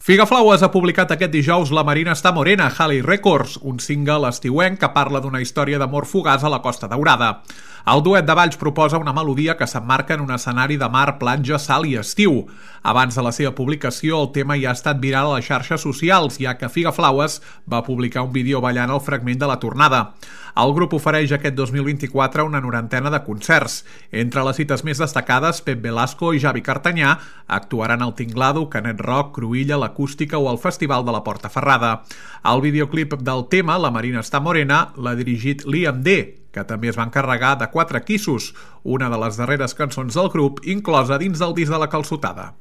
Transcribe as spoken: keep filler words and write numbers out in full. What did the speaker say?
Figaflaues ha publicat aquest dijous La Marina està morena, Halley Records, un single estiuenc que parla d'una història d'amor fugaç a la Costa Daurada. El duet de Valls proposa una melodia que s'emmarca en un escenari de mar, platja, sal i estiu. Abans de la seva publicació, el tema ja ha estat viral a les xarxes socials, ja que Figaflaues va publicar un vídeo ballant el fragment de la tornada. El grup ofereix aquest dos mil vint-i-quatre una norantena de concerts. Entre les cites més destacades, Pep Velasco i Javi Cartanyà actuaran al Tinglado, Canet Rock, Cruïlla, l'Acústica o al Festival de la Portaferrada. El videoclip del tema, La Marina està morena, l'ha dirigit Liam D, que també es va encarregar de Quatre Quissos, una de les darreres cançons del grup inclosa dins del disc de La Calçotada.